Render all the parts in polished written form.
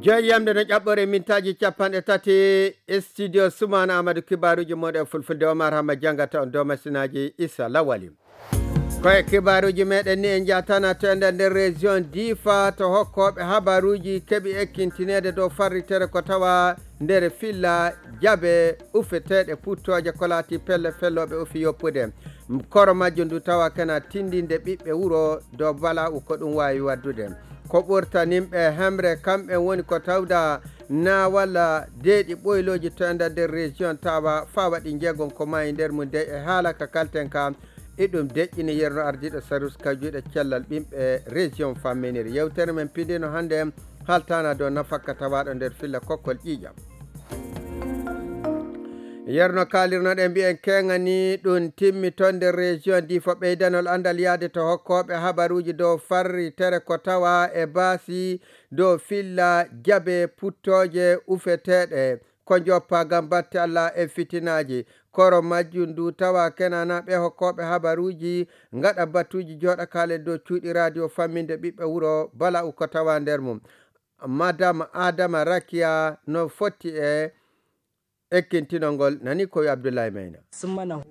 joyyamde no ƴaɓɓore mintaji 30 studio Soumana Amadou kibaruji moɗe fulfulde Omar Hama jangata on dow masinaji Issa Lawali koye kibaruji meɗen ni en jatana to nder région Difa to hokkoɓe habaruji keeɓi ekkintinede dow farritere ko tawa nder filla jaabe ufeteɗe puttoje ko laati pelle felloɓe ufi yoppude koro majjum ndu tawa kana tindinde ɓiɓɓe wuro dow bala ko ɗum wawi waddude ko ɓurtanimɓe hemre kamɓe woni ko tawda na walla deeɗi ɓoyloji to nder région tawa fa waɗi jeegon ko mayi nder mum de e haala ka kalten ka iɗum deƴƴini yerno ardiɗo sarus ka juuɗe cellal ɓimɓe région famminiri yewtere men pindino hande haltana dow nafakka tawaɗo nder filla kokkol ƴiƴam yerno kalirnoɗen mbiyen kegani ɗum timmi ton nder région Difa ɓeydanol andal yaade to hokkoɓe habaruji dow farri tere ko tawa e baasi dow filla jaabe puttoje ufeteɗe ko joppa gam batte Allah e fitinaji koro majjum ndu tawa kenana ɓe hokkoɓe habaruji gaɗa batuji joɗa kalen dow cuuɗi radio famminde ɓiɓɓe wuro bala ko tawa nder mum madame Adama Rakia no fotti e ekkintinol ngol nani koye Abdoulaye Mayna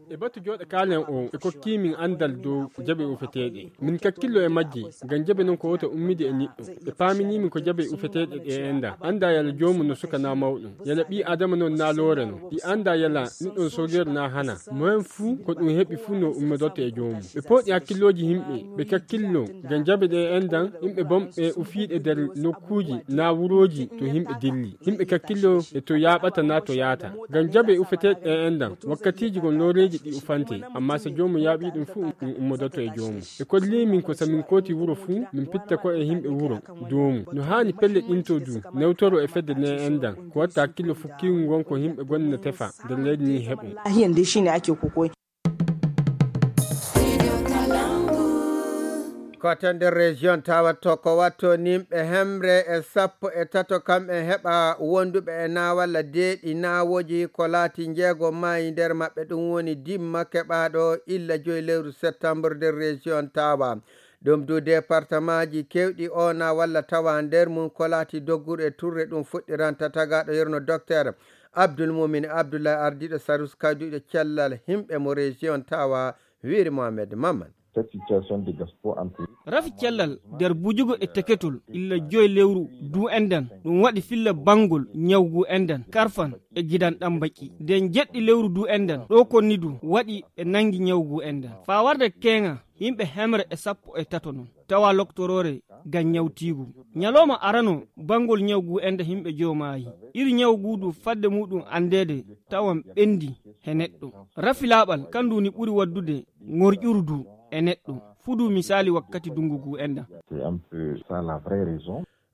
e batu joɗa kalen o e kokki min andal dow jaɓe ufeteɗe min kakkillo e majji ngam jaɓe non ko wota ummide e niɗɗo e paaminimin ko jaɓe ufeteɗe ɗe enda anda yala jomum no suka na mawɗum yala ɓi adama non na loore no ɗi anda yala niɗɗon sogeru na hana moyen fuu ko ɗum heɓi fuu no ummodoto e jomum ɓe pooɗi hakkilloji himɓe ɓe kakkillo ngam jaɓe ɗe endan yimɓe bomɓe ufiɗe nder nokkuji na wuroji to yimɓe dilli yimɓe kakkillo e to yaɓata na to yaata ngam jaɓe ufeteɗe ɗe endan wakkatiji gon loreji ɗi ufante amma so jomum yaaɓi ɗum fuu ɗum ummodoto e jomum e kolli min ko samin kooti wuro fuu min pitta ko e yimɓe wuro domu no hani pelle ɗinto du newtoro e fedde ne endan ko watta hakkillo fukkigu gon ko yimɓe gonna tefa nder leydi ni heɓum yande shine ake kokoi koto nder région tawatto ko watto nimɓe hemre e 13 kamɓe heɓa wonduɓe e na walla deeɗi nawoji ko laati jeego mayi nder maɓɓe ɗum woni dimma keɓaɗo illa 5 lewru septembre nder région tawa ɗum du département ji kewɗi o na walla tawa nder mum ko laati dogguɗo e turre ɗum fuɗɗiranta tagaɗo yerno docteur Abdoul Moumin Abdoulaye ardiɗo sarus kajuɗo cellal himɓe mo région tawa wiri Mohamed Maman rafi cellal nder bujugo e teketol illa 5 lewru du enden ɗum waɗi filla bangol ñawgu enden karfan e gidan ɗan baki nden jeɗɗi lewru du enden ɗo konni du waɗi e nangi ñawgu enden fa warde kenga yimɓe hemre e 13 non tawa loktorore gam ñawtigu ñaloma arano bangol ñawgu ende himɓe jomayi iri ñawgu du fadde muɗum andede tawan ɓendi he neɗɗo rafilaɓal kandu ni ɓuri waddude ŋorƴurdu e neɗɗo fudu misali wakkati dungugu enda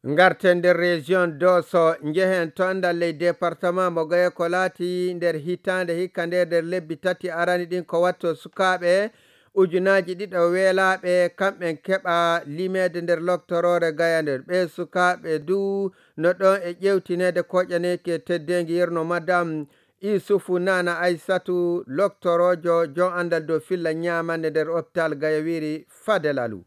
garten nder région Dosso jehen to ndal ley département mo gaye ko laati nder hitande hikka nder lebbi 3 arani ɗin ko watto sukaɓe ujunaji ɗiɗo weelaɓe kamɓen keɓa limede nder loctorore gayande ɓe sukaɓe du no ɗon e ƴewtinede koƴaneke teddengi yerno madame Isufu Nana Aissatu loctorojo jon andal dow filla ñamande nder hôpital Gayawiri Fadel Alou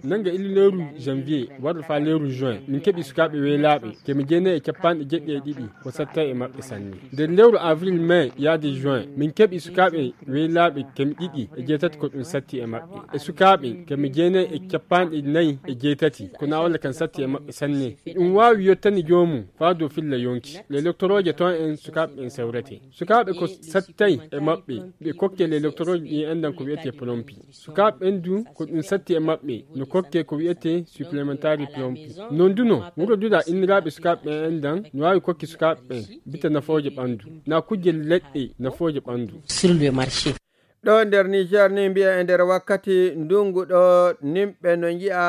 nanga ili lewru janvier warɗo fa lewru juin min keɓi sukaɓe weelaɓe kemi jeenayi e capanɗe 7 ko satta e maɓɓe sanne nder lewru avril mai yaade juin min keɓi sukaɓe weelaɓe kemi 2 e 8 ko ɗum satti e maɓɓe e sukaɓe kemi jeenayi e capanɗe 4 e 8 ko na walla kan satti e maɓɓe sanne ɗum wawi yettani jomum fa dow filla yonki les doctoroje ton en sukaɓe en sewrete sukaɓe ko sattay e maɓɓe ɓe kokke les doctoroje ɗi endan ko wiyete plompi sukaɓe ɓen du ko ɗum satti e maɓɓe no kokke ko wiyete supplémentaire plompi non duno wuro duɗa inniraɓe sukaɓe endan no wawi kokki sukaɓe bita nafoje ɓandu na kujje leɗɗe nafoje ɓandu sur le marché ɗo nder Niger ni mbiya e nder wakkati ndungu ɗo nimɓe no jiya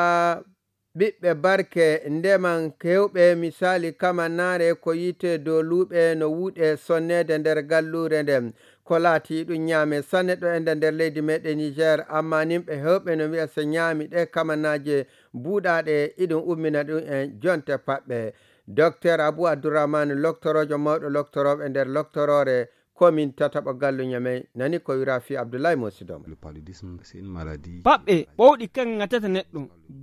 ɓiɓɓe barke ndeman kewɓe misali kamannare ko yite dow luuɓe no wuuɗe sonnede nder gallure nden ko laati ɗum ñaame sanne ɗo ende nder leydi meɗen Niger amma nimɓe hewɓe no wiya so ñaami ɗe kamannaje buuɗaɗe iɗum ummina ɗum en jonte paɓɓe docteur Abou Abdourahmane loctorojo mawɗo loctoroɓe nder loctorore komin tataɓa gallu ñamey nani ko wira fi Abdoulaye Mosidom. paɓɓe ɓowɗi kan ŋatata neɗɗo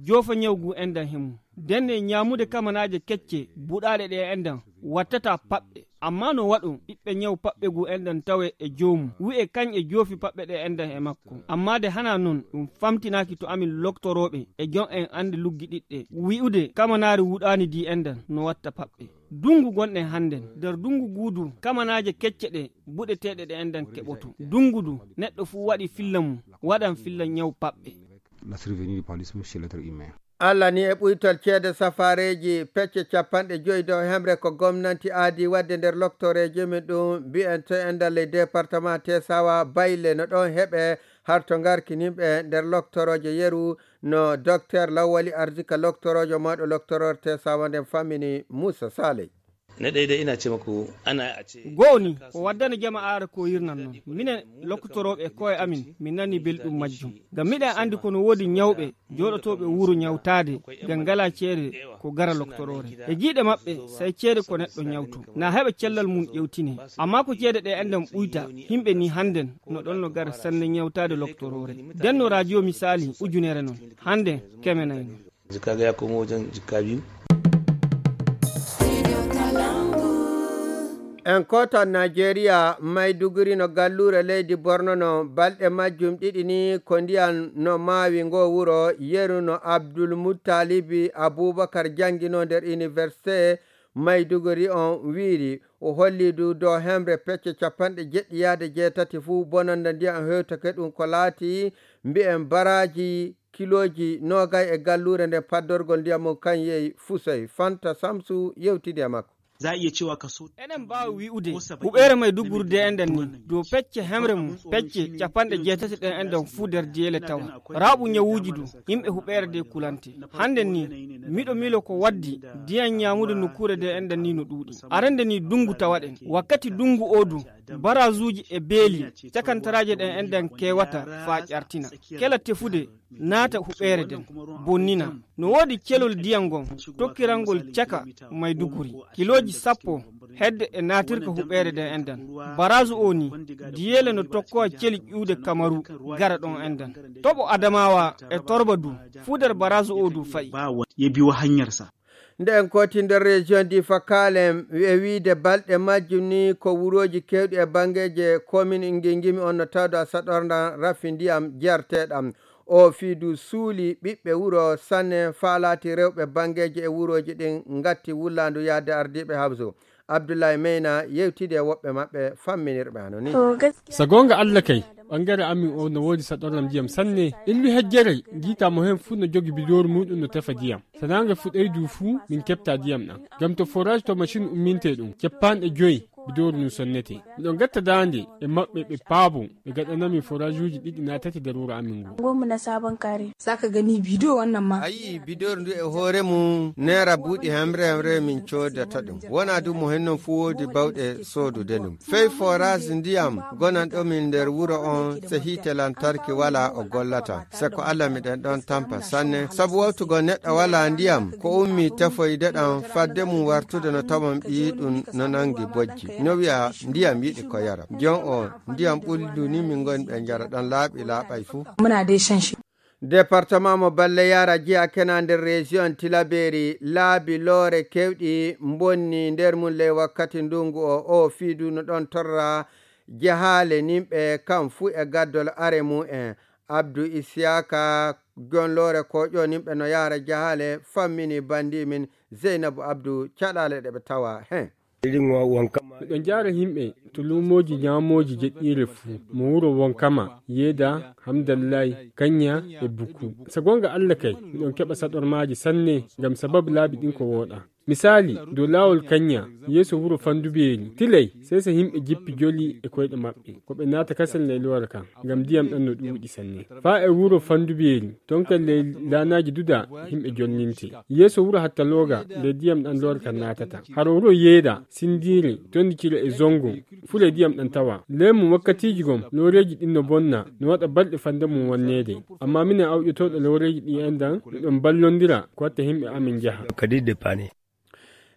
jofa ñawgu endan hemu denne ñamude kamanaje kecce buɗaɗe ɗe endan wattata paɓɓe amma no waɗo ɓiɓɓe ñaw paɓɓe gu endan tawe e joomu wi'e kañ e joofi paɓɓe ɗe endan e makko amma de hana non ɗum famtinaki to amin loktoroɓe e jon en ande luggi ɗiɗɗe wi'ude kamanari wuɗani di endan no watta paɓɓe dungu gonɗen hannden nder dungu guudu kamanaje kecce ɗe buɗeteɗe ɗe endan keɓoto dungu du neɗɗo fuu waɗi filla mum waɗan filla ñaw paɓɓe. Allah ni e ɓuytol ceede safareji pecce 50 dow hemre ko gomnati aadi wadde nder loktoreji min ɗum mbi'ente e nder ley département Tesawa bayle no ɗon heɓe har to garkinimɓe nder loktoroje yeru no docteur Lawali Arzika loktorojo mawɗo loktoror Tesawa nden fammini Moussa Saleh. na ɗaya dai ina ce muku ana a ce goni ko waddana jama'are ko yirnan non minen lokkutoroɓe koye amin min nani belɗum majjum ngam miɗen andi kono woodi ñawɓe joɗotoɓe wuuro ñawtade ngam ngala ceede ko gara loktorore e jiiɗe maɓɓe say ceede ko neɗɗo ñawtu na heɓa cellal mum ƴewtine amma ko ceede ɗe enden ɓuyta himɓe ni hannden no ɗon no gara sanne ñawtade loktorore denno radio misali ujunere non hande kemenayno jikaga ya komo wajen jikka biyu. en kota Nigeria Maiduguri no gallure leydi Borno no balɗe majjum ɗiɗi ni ko ndiyan no maawi ngo wuro yeru no Abdul Muttalibi Abubakar jangino nder université Maiduguri on wiiri o hollidu dow hemre pecce 70 fuu bononda ndiyam hewtake ɗum ko laati mbi'en baraji kiloji nogay e gallure nde paddorgol ndiyam mum kan yehi Fusoy Fanta Samsu yewtidi e makko. za a iya cewa kaso enen mbawi wi'ude huɓere Maiduguri de enden ni dow pecce hemre mum pecce 80 ɗen enden fuu nder jeele tawa raaɓu ñawuji du yimɓe huɓere de kulante hande ni miɗo milo ko waddi diyan ñamude nokkure de enden ni no ɗuuɗi arande ni dungu tawaɗen wakkati dungu o du barazuji e beeli cakantaraje ɗen enden kewata fa ƴartina kela tefude naata huɓere den bonnina no woodi celol diyam gon tokkirangol caka Maiduguri kiloji 10 hedde e naatirka huɓere den enden barazu o ni diyele no tokkowa celi ƴuude Kamaru gara ɗon enden toɓo Adamawa e Torba du fuu nder barazu o du fayi ya biyo hanyarsa nde en koti nder région Difa Kalem e wiide balɗe majjum ni ko wuroji kewɗi e bangeje commune Ngingimi on no tawdo a saɗorda rafi ndiyam jerteɗam o fiidu suuli ɓiɓɓe wuro sanne faalati rewɓe bangeje e wuroji ɗin ngatti wullandu yaade ardiɓe habso Abdoulaye Meyna yewtide woɓɓe maɓɓe famminirɓe hano ni sa gonga Allah kay ɓangare amin o no woodi saɗornam ndiyam sanne illu hejjere jiitamo hen fuu no jogi bidoru muɗum no tefa ndiyam sanange fuɗɗoy du fuu min keɓta ndiyam ɗam ngam to forage to machine umminte ɗum 50 bidoru num sonnete miɗon gatta dande e maɓɓe ɓe paabo ɓe gaɗanami forage uji ɗiɗi na tati nder wuro amin ngu gomu na sabon kare zaka gani bidiyo wannan ma ayi bidoru ndu e hoore mum naira buuɗi hemre min codata ɗum wona du mo hennon fu woodi bawɗe soodude ɗum fey forage ndiyam gonan ɗo min nder wuro on so hiite lantarki wala o gollata se ko Allah miɗen ɗon tampa sanne sabu wawtugo neɗɗo wala ndiyam ko ummi tefoyde ɗam fadde mum wartude no tawon ɓi ɗum no nangi bojji no wiya ndiyam yiɗi ko yara jon o ndiyam ɓuldu ni min gon ɓe jara ɗon laaɓi laaɓay fuu muna dai shan shi département mo balle yara jiya kena nder région Tilaberi laabi loore kewɗi bonni nder mum ley wakkati ndungu o fiidu no ɗon torra jahale nimɓe kam fuu e gaddol are mu'en Abdou Isiaka gonlore koƴo nimɓe no yara jahale fammini bandi min Zeynabou Abdou caɗale ɗe ɓe tawa hen miɗon jara yimɓe to lumoji ñamoji jeɗɗire fuu mo wuro Wonkama Yeda Hamdallahi Kanya e Buku sa gonga Allah kay miɗon keɓa saɗormaji sanne ngam sababu laabi ɗin ko woɗa misali dow lawol Kanya yeeso wuro Fandubeli tilay sai so yimɓe jippi joli e koyɗe maɓɓe ko ɓe naata kasel ley lora kan ngam ndiyam ɗan no ɗuuɗi sanne fa e wuro Fandubeli ton kan ley lanaji duda yimɓe jonninte yeeso wuro Hattaloga ley ndiyam ɗan lora kan naatata haro wuro Yeda Sindire Tondikiro e Zongo fule ndiyam ɗan tawa lemu wakkatiji gom loreji ɗin no bonna no waɗa balɗe fande mum wonnede amma minen awƴotoɗo loreji ɗi endan ɗon ballondira ko watta yimɓe amin jaha kadi de pane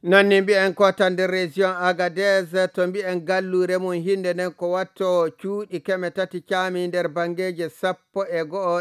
non ni mbi'en ko tan nder région Agadez to mbi'en gallure mum hinde nden ko watto cuuɗi 3 caami nder bangeje 11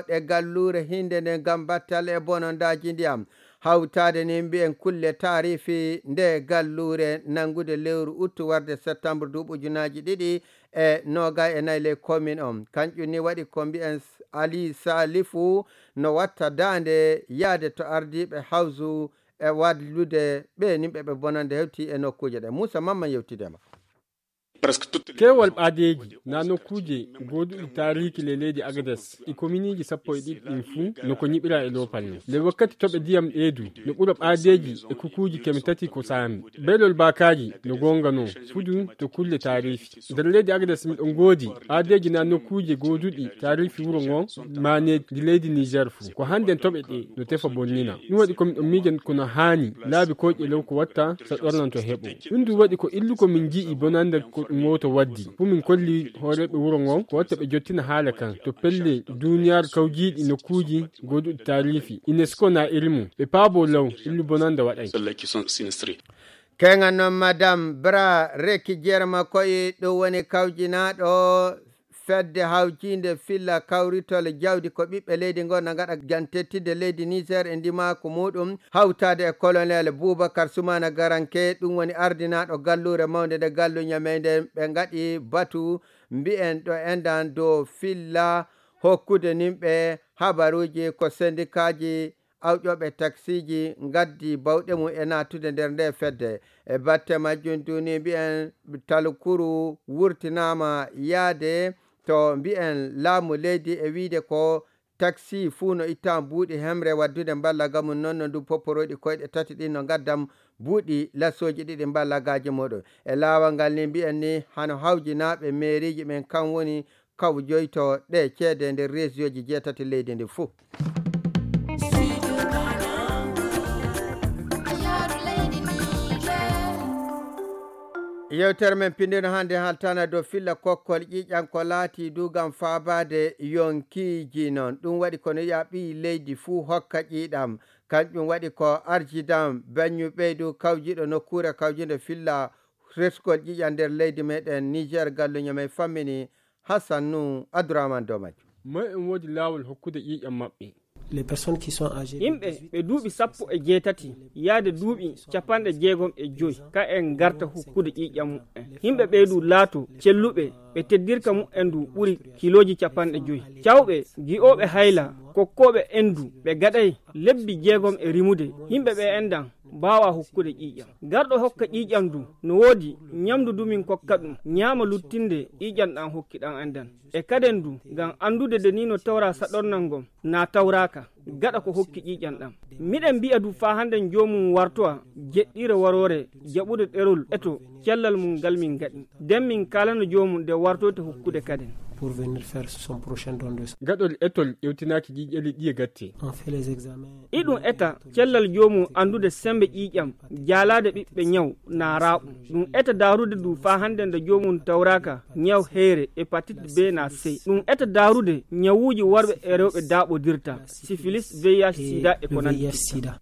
ɗe gallure hinde nden gam battal e bonondaji ndiyam hawtade ni mbi'en kulle tarifi nde gallure nangude lewru uttu warde septembre 2024 le commune on kanƴum ni waɗi ko mbi'en Ali Salifu no watta dande yaade to ardiɓe hawsu e wadlude ɓe nimɓe ɓe bonande hewti e nokkuje ɗe. Moussa Mamman yewtidema. Kewal ɓaadeji na nokkuje goduɗi tarihi le leydi Agadez e commune ji 11 ɗin fuu no ko ñiɓira e lopalle le wakkati toɓe ndiyam ɗeedu no ɓura ɓaadeji e kukuji 3 ko saami beelol bakaji no gongano fudu to kulle tarihi nder leydi Agadez miɗon goodi ɓaadeji na nokkuje goduɗi tarihi wuro ngon maneji leydi Niger fuu ko hannden toɓe ɗe no tefa bonnina ɗum waɗi ko miɗon miijan kono haani laabi koƴƴe lew ko watta so ɗornanto heɓo ɗum du waɗi ko illu ko min ji'i bonande ko moto waddi fu min kolli horeɓe wuro ngon ko watta ɓe jottina haala kan to pelle duniyar kawjiɗi nokkuji goduɗi tarihi UNESCO na irimu ɓe paabo law illu bonande waɗay kengan noon madame Bra Reki Jerma koye ɗo woni kawjinaɗo fedde hawjinde filla kawritol jawdi ko ɓiɓɓe leydi gonna gaɗa gantettide leydi Niger e ndimaku muɗum hawtade e colonel Boubacar Soumana Garanke ɗum woni ardinaɗo gallure mawde nde gallu ñameyde ɓe gaɗi batu mbi'en ɗo endan dow filla hokkude nimɓe habaruji ko syndikaji awƴoɓe taxiji gaddi bawɗe mum e natude nder nde fedde e batte majjum duni mbi'en talkuru wurtinama yaade to mbi'en laamu leydi e wiide ko taxi fuu no itta buuɗi hemre waddude mballaga mum noon no ndu poporoɗi koyɗe 3 ɗin no gaddam buuɗi lassoji 2 mballagaji muɗum e laawol ngal ni mbi'en ni hano hawjinaɓe mairiji ɓen kan woni kawjoyto ɗe ceede nder région ji 8 leydi ndi fuu. yewtere men pindino hande haltana dow filla kokkol ƴiƴan ko laati dugam faabade yonkiji noon ɗum waɗi kono yiya ɓi leydi fuu hokka ƴiiɗam kanƴum waɗi ko arjidam bañu ɓeydu kawjiɗo nokkure kawjide filla reskol ƴiƴan nder leydi meɗen Niger galluñamen fammini Hassan nu Abdourahmane Domaj ma en wodi lawol hokkude ƴiƴam maɓɓe yimɓe ɓe duuɓi 18 yaade duuɓi 65 ka en garta hokkude ƴiƴam mu'en yimɓe ɓeydu laato celluɓe ɓe teddirka mu'en du ɓuri kiloji 50 cawɓe gi'oɓe hayla kokkoɓe endu ɓe gaɗay lebbi 6 e rimude yimɓe ɓe endan bawa hokkude ƴiƴam garɗo hokka ƴiƴam du no woodi ñamdu du min kokka ɗum ñaama luttinde ƴiƴam ɗan hokkiɗan endan e kaden du ngam andude de ni no tawra saɗornal ngom na tawraka gaɗa ko hokki ƴiƴam ɗam miɗen mbi'a du fa handen jomum wartoa jeɗɗire warore jaɓude ɗerol eto cellal mum ngal min gaɗi nden min kalano jomum nde wartote hokkude kaden pour venir faire son prochain don de gaɗol etol ƴewtinaki ƴiƴeli ɗi e gatte on fait les examens iɗum eta cellal jomum andude sembe ƴiƴam jalade ɓiɓɓe ñaw na raɓu ɗum eta darude du fa hande nde jomum tawraka ñaw heere hépatite B na C ɗum eta darude ñawuji worɓe e rewɓe daɓodirta syphilis VIH sida e ko nandi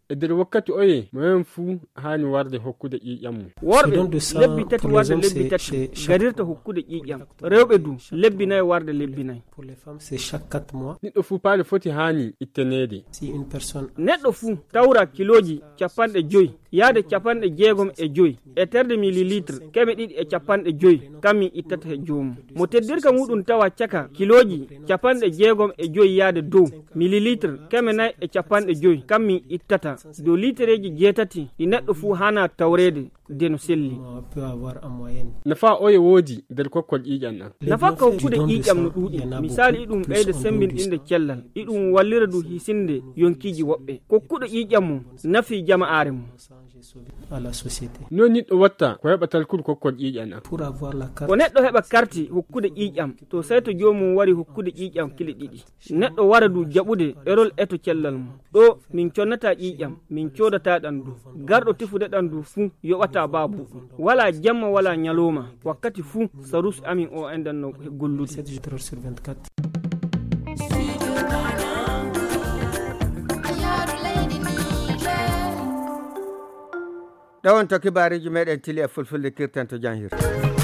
e nder wakkati oye moyen fuu hani warde hokkude ƴiƴam mum worɓe lebbi 3 warde lebbi 3 gadirta hokkude ƴiƴam rewɓe du lebbi 4 warde lebbi 4 pour les femmes c'est chaque 4 mois neɗɗo fuu paali foti hani ittenede si une personne neɗɗo fuu tawra kiloji 50 yaade 65 e terde millilitre 250 kammi ittata he jomum mo teddirka muɗum tawa caka kiloji 65 yaade dow millilitre 450 kammi ittata dow litreji 8 ɗi neɗɗo fuu hana tawrede deno selli peut avoir en moyenne nafa oye woodi nder kokkol ƴiƴam ɗan nafa ka hokkude ƴiƴam no ɗuuɗi misali iɗum ɓeyde sembinɗinde cellal iɗum wallira du hisinde yonkiji woɓɓe kokkuɗo ƴiƴam mum nafi jama'are mum à la société no niɗɗo watta ko heɓa talkude kokkol ƴiƴam ɗan pour avoir la carte ko neɗɗo heɓa karti hokkude ƴiƴam to sey to jomum wari hokkude ƴiƴam kili ɗiɗi neɗɗo wara du jaɓude ɗerol eto cellal mum ɗo min connata ƴiƴam min codata ɗan du garɗo tefude ɗan du fuu yoɓata babu wala jamma wala ñaloma wakkati fuu sarus amin o endan no gollude 7 jours sur 24 ɗawon to kibariji meɗen tili e fulfulde kirtan to janhirta.